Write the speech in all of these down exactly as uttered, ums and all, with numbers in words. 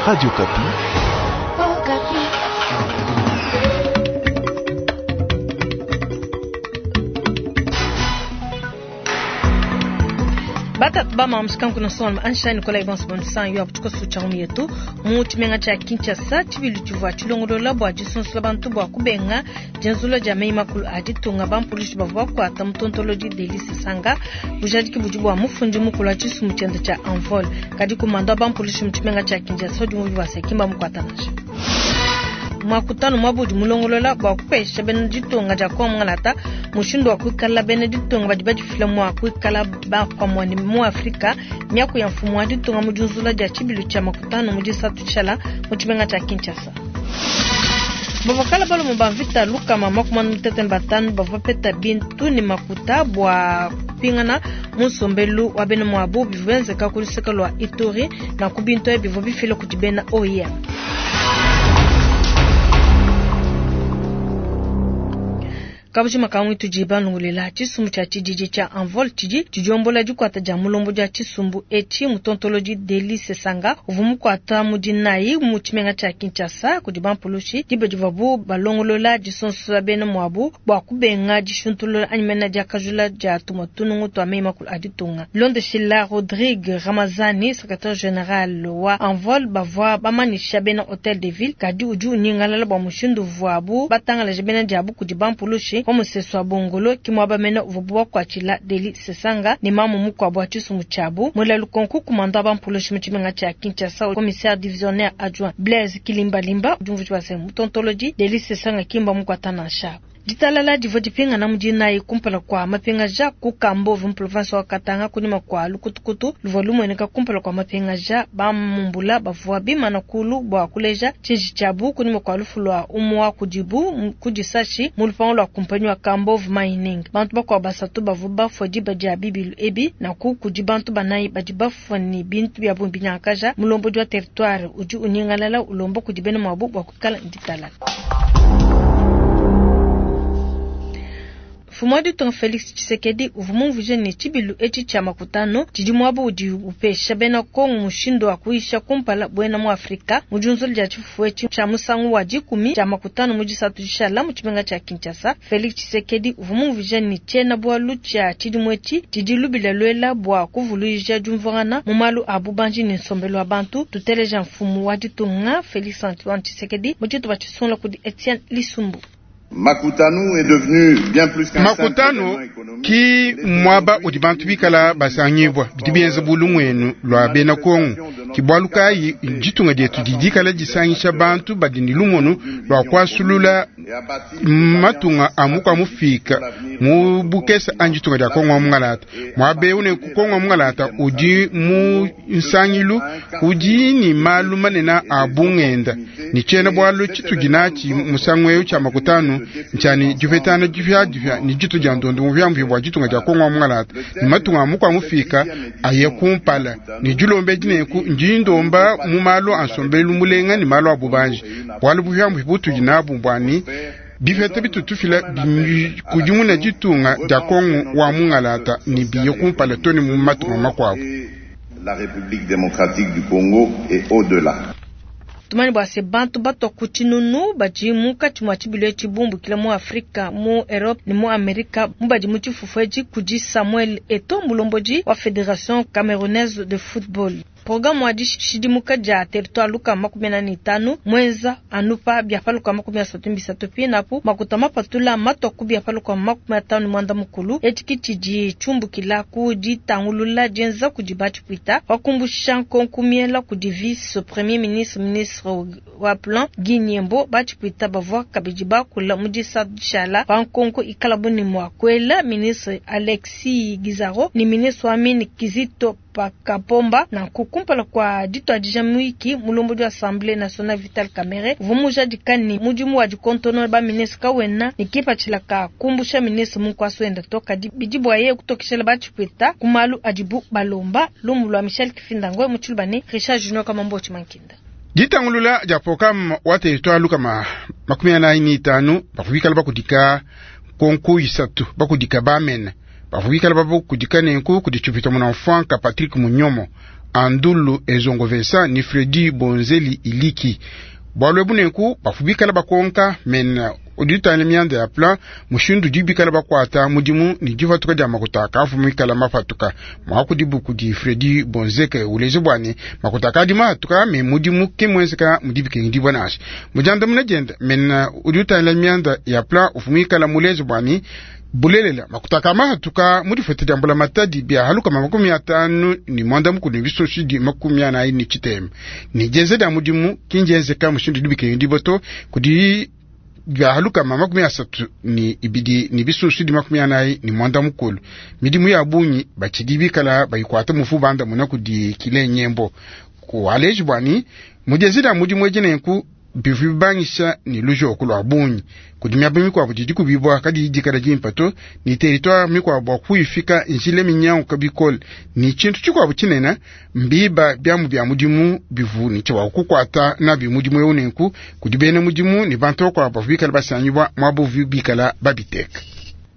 Radio Okapi. Batatu ba mushikanku na sona anshani kola ibonso bonsan yo abutuko sucha yetu mu tshimenga tshia Kinshasa tshibilu tshivua tshilongolola bua disonsula bantu bua kubenga dienzula dia meyi makulu a ditunga bampulushi bavua bakuata mutontolodi Delly Sesanga bujadiki budi bua mufundi mukulu wa tshisumbu tshiende tshia Envol kadi kumanda wa bampulushi mu tshimenga tshia Kinshasa udi mubi wa sekimba mukuata nansha mwakutano mwabudi mulongolola bua kupesha bena ditunga dia Kongo ngalata mushindu wa kuikala bena ditunga badi badifila mua kuikala ba pamue ne mu Afrika miaku ya mfumu wa ditunga mu diunzula dia tshibilu tshia makutano mu disatu tshala mu tshimenga tshia Kinshasa. Bavakala balume ba mvita lukama makumi mutete batanu bavua bapeta bintu ne makuta bua kupingana mu nsombelu wa bena muabu bivua bienzeka ku luseke lua Ituri na ku bintu ebi bivua bifila kudi bena O I M. Kabujima kamwe tudi banungulela tshisumbu tshia tshididi tshia Envol tshidi tshidiombola dikuata dia mulombo dia tshisumbu etshi mutontolodi Delly Sesanga uvua mukuata mu dinayi mu tshimenga tshia Kinshasa kudi bampulushi diba divuabu balongolola disonsola bena muabu bua kubenga dishuntulula anyi mena diakajula dia tumue tunungu tua meyi makulu a ditunga. Bilondeshila Rodrigue Ramazani secrétaire général wa Envol bavua bamanyisha bena Hotel de Ville kadi udi unyingalala bua mushindu uvuabu batangalaje bena diabu kudi bampulushi kwa musesu wa Bongolo kimwaba mena uvuabu bakuatshila Delly Sesanga ne mamu mukuabu wa tshisumbu tshiabu mwela lukonko kumanda bampulushi mu tshimenga tshia Kinshasa commissaire divisionnaire adjoint Blaise Kilimbalimba udi umvuija bua se mutontolodi Delly Sesanga kimba mukuata nansha. Ditalala divua dipingana mu dinayi kumpala kua mapingaja ku Kambove mu province wa Katanga kunyima kua lukutukutu luvua lumueneka kumpala kua mapingaja bamumbula bavua bimana kulu bua kuleja tshiji tshiabu kunyima kua lufu lua umue wa kudibu ku disashi mu lupangu lua kumpanyi wa Kambove Mining. Bantu bakuabu basatu bavua bafua diba dia bibilu ebi naku kudi bantu banayi badi bafua ne bintu bia bungi binyangakaja. Mulombodi wa territoire udi unyingalala ulomba kudi bena muabu bua kuikala ditalala. Mfumu wa ditunga Felix Tshisekedi uvua mumvuije ne tshibilu etshi tshia makutano tshidi muaba udi upesha bena Kongo mushindu wa kuyisha kumpala buena mu Afrika mu diunzula dia tshifufu etshi tshia musangu wa dikumi tshia makutano mu disatu dishala mu tshimenga tshia Kinshasa. Felix Tshisekedi uvua mumvuije ne tshiena bualu tshia tshidimu etshi tshidi lubila luela bua kuvuluija diumvuangana mu malu a bubanji ne nsombelu wa bantu. Tuteleja mfumu wa ditunga Felix Antoine Tshisekedi mu tshitupa tshisungula kudi Etienne Lisumbu. Makutano est devenu bien plus qu'un Makutano ki mwaba udi bantu bikala basangibwa bidi bienza bulumwenu lwa bena Kongo ki bwalu kayi ditunga dietu didikala disangisha bantu badi ni lumonu lwa kwasulula matunga amuka mufika mu bukesa anji tunga dia Kongo mungalata mwabe une ku Kongo mungalata udi mu nsangilu udi ni malu manena abungenda ni chena bwalu chitudi nachi musangwe cha makutano nchani jufetana jufya jufya ni jitu ja ndondo muvya mvya bwa jitunga ja Kongo mungalata ni matunga amuka mufika aye kumpala ni julombe jineku njindomba mu malu ansombelu mulenga ni malu abubanji bwalu buvya mvya butu jinabu bwani bifete bitutufila kujimuna jitunga ja Kongo wa mungalata ni biye kumpala toni mu matunga makwabu. La République démocratique du Congo et au-delà. Tumani bua se bantu batwa ku tshinunu badi munkatshi mua tshibilu etshi bumbukila mu Afrika, mu Europe ne mu Amerika mu badi mu tshifufu etshi kudi Samuel Eto'o mulombodi wa Fédération Camerounaise de Football. Programme wa dishidimuka dia territoire luka makumi ane ne tanu mwenza anupa bia paluka makumi asatu mbisatu pinapu makuta mapatula matwa ku bia paluka makumi atanu mwanda mukulu etshi tshidi tshiumbukila ku ditangulula dienza kudi batshipwita wakumbusha nkonkumiela kudi vice premier ministre ministre wa plan Guy Nyembo batshipwita bavua kabidi bakula mu disatu dishala pa nkonko ikala buni mua kuela ministre Alexis Gizaro ni ministre wa mine Kizito Pakapomba na kukumpala kwa ditwadija mwiki mulombodi wa Assemblée nationale Vital Kamerhe uvua dikani mudimu wa dikontono ba ministre kawena ni kipatshila ka kumbusha ministre munkwaso enda toka bidi bua yeye kutokeshela batshipwita ku malu adibu balomba lumu lwa Michel Kifinda Ngoi mu tshiluba ne Richard Junior Kamambo Tshimankinda. Ditangulula dia programme wa territoire lukama makumi anayi ne itanu bakubikala bakudika konku isatu bakudika bamene bavubikala babo kudika nenku kudi tshipita muna mfanka Patrick Munyomo Andulu Ezongo Vincent ni Fredi Bonzeli Iliki. Bwalu ebu nenku bafu bikala bakonka mena udi utangila mianda ya plan mushindu udi bikala bakuata mudimu ni dipatuka dia makuta akafu mikala mapatuka mwakudibu kudi Fredi Bonzeke uleje bwane makuta akadi mahatuka me mudimu ke mwenzeka mudi bikengedibua nansha mujandamuna dienda mena udi utangila mianda ya plan ufu muikala muleje bwane bulelela makuta aka mahatuka mu difeta dia mbula matadi bia halukama makumi atanu ni mwanda mukulu ni bisoshi di makumi anayi ni tshitema ni dienza dia mudimu kindienzeka mushindu udi bikengedibua to kudi bia halukama makumi asatu ni ibidi ni bisusu di makumi anayi ni mwanda mukulu midimu ya bungi batshidi bikala bayikuata mufu banda muna kudi kile nyembo kualeji bwani mudienza dia mudimu edi nenku bivu bibangisha ni lujoku lwa bungi kudi miaba mikuabu didi kubibwa kadi dikala dimpa to ni territoire mikuabu bua kuyifika njila minyanguka bikole ni tshintu tshikuabu tshinene mbiba biamu bia mudimu bivu ni tshia kukuata nabi mudimu eu nenku kudi bena mudimu ni bantu bakuabu bavua bikala basangibua muaba uvu bikala babiteka.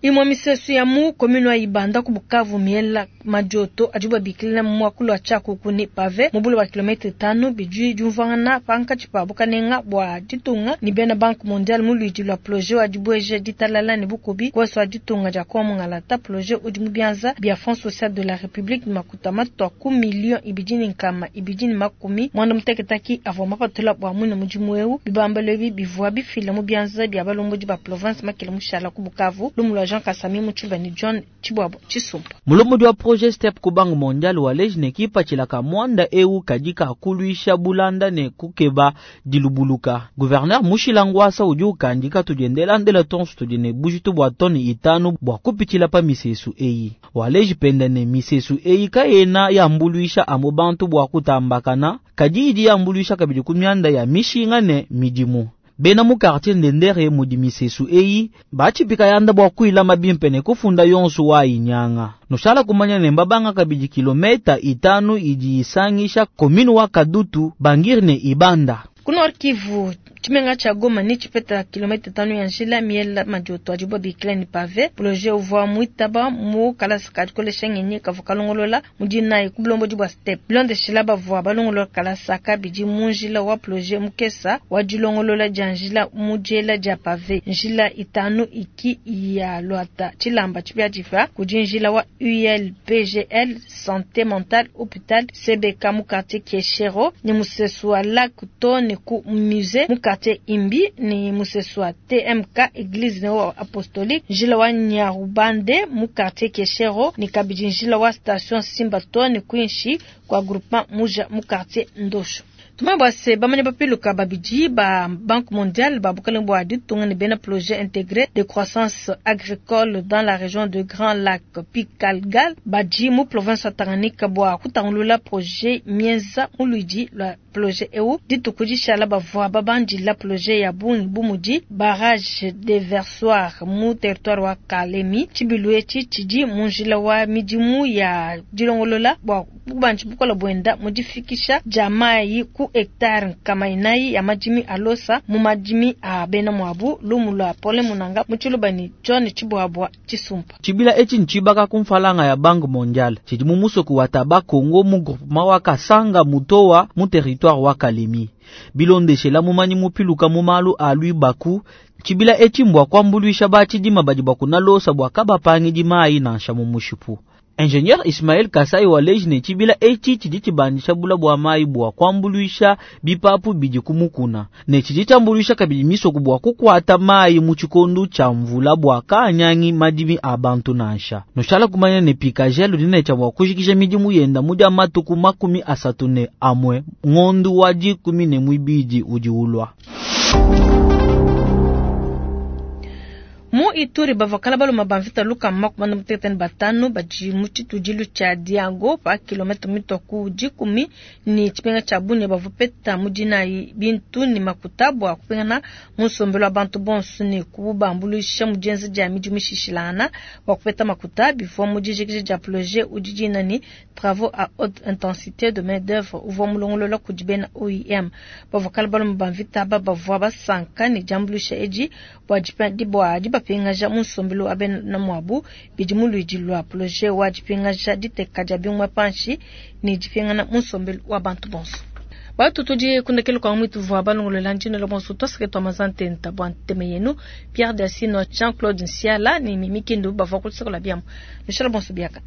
Imwe misesu ya mu commune wa Ibanda ku Bukavu miela madioto adi babikila mu mwakulu wa tshiakuku ni pave mu bule wa kilometre tano bidi diumvuangana pankatshi pa bukanenga bua ditunga ni bena Banque mondiale mu luidi lua projet wa dibueja ditalala ne bukubi kueso wa ditunga dia Kongo Mungalata. Projet udi mu bianza bia Fonds social de la République makuta matwa ku million ibidi ni nkama ibidi ni makumi mwanda muteketaki avua mapatula bua mwine mudimu eu bibambalo ebi bivua bifila mu bianza bia balombodi ba province makele mushala ku Bukavu lumu lua Jean Kasami Muchilwa ni John Chibwabo Chisumpa. Mulombodi wa projet Step ku Banque mondiale wa lejne kipatshila mwanda eu kadika kuluisha bulanda ne kukeba dilubuluka. Gouverneur Mushilangwasa udi ukandika tudiendela ndela tonso tudi ne bujitu bua toni itanu bua kupitshila pa misesu eyi. Waleji penda ne misesu eyi kayena yambuluisha amu bantu bua kutambakana, kadi idi yambuluisha kabidi ku mianda ya mishinga ne midimu. Bena mu quartier ndendere mudi misesu eyi bachipika yanda bua kuilama bimpe ne kufunda yonso wa inyanga. Nushala kumanya ne mbabanga kabidi kilometa itanu idi isangisha komini wa Kadutu Bangiri ne Ibanda. Ku Nord Kivu tshimenga tshia Goma ni tshipeta kilomita tano ya njila miela madioto adibo bikila ni pave. Projet uvua muitaba mu kalasa ka dikolesha ngenyi kavua kalongolola mudi nayi ku bulombodi bua step bilondeshila bavua balongolola kalasa kabidi mu njila wa projet mukesa wa dilongolola dia njila mu diela dia pave. Njila itanu iki ya lwata tshilamba tshipia difa kudi njila wa U L P G L santé mentale hôpital C B K mu quartier Kieshero ni musesu wa Lac to ni ku musée mu quartier Imbi ni musesu wa T M K église neo apostolique njila wa Nyarubande mu quartier Kieshero ni kabidi njila wa station Simba to ni kuinshi kwa groupement Muja mu quartier Ndosho. Tumabwa se bamane bapiluka babidi ba Banque mondiale ba bukale bwa ditunga ne bena projet intégré de croissance agricole dans la région de Grand Lac Pikalgal badi mu province ya Tanganyika bwa kutangulula projet mienza muluidi la projet eu dituku dishala bavua babandila projet ya bungi bumudi barrage de versoir mu territoire wa Kalemi tshibilu etshi tshidi mu njila wa midimu ya dilongolola bwa bubanji bukola bwenda mudifikisha dia mayi ku hectare nkama inayi ya madimi alosa mu madimi a bena mwabu lumu lwa pole munanga mutshiluba ni John Chibwabwa Chisumpa. Tshibila etshi ntshibaka ku mfalanga ya Banque mondiale tshidi mu musoku wa Taba Kongo mu groupement wa Kasanga Mutowa mu territoire wa Kalemi. Bilondeshela mumanyi mupiluka mu malu a lwibaku tshibila etshi mbwa kuambuluisha batshidima badi bakunalosa bua kabapangidi mayi nansha mu mushipu. Ingénieur Ismaël Kasai wa lejne tshibila etshi tshidi tshibandisha bula bua mayi bua kuambuluisha bipapu bidi kumukuna ne tshidi tshiambuluisha kabidi misoku bua kukuata mayi mu tshikondu tshia mvula bua kanyangi madimi a bantu nansha. Nushala kumanya ne pikajelu dine tshia bua kujikija midimu yenda mu dia matuku makumi asatu ne amwe ngondu wa dikumi ne muibidi udi ulua. Mu Ituri bavakala baloma bamvita luka makumana mutekete ne batanu badi mu tshitudilu tshia Diago pa kilomètre mitwa ku dikumi ni tshipenga tshia Bunia bavupeta mu dinayi bintu ni makuta bua kupingana mu nsombelu wa bantu bonso ne kubambuluisha mu dienza dia midimu mishishilana bua kupeta makuta bivua mu dijikija dia projet udi dina ni travaux à haute intensité de main d'œuvre uvua mulongolola kudi bena O I M. Bavakala baloma bamvita aba bavua basanka ne diambuluisha edi bua dipa bua dibapingana dipingaja mu nsombelu wa bena muabu bidi mu luidi lua poloje wa dipingaja diteka dia bingoma panshi ne dipingana mu nsombelu wa bantu bonso. Batu tudi kundekelu kwa mwitu vwa balongolola njino bonso twasake twa mazantenta bwa nteme yenu Pierre Dasino Jean-Claude Nsiala ni Mimi Kindu bavwa kutsikola biamu. Mishala bonso biaka.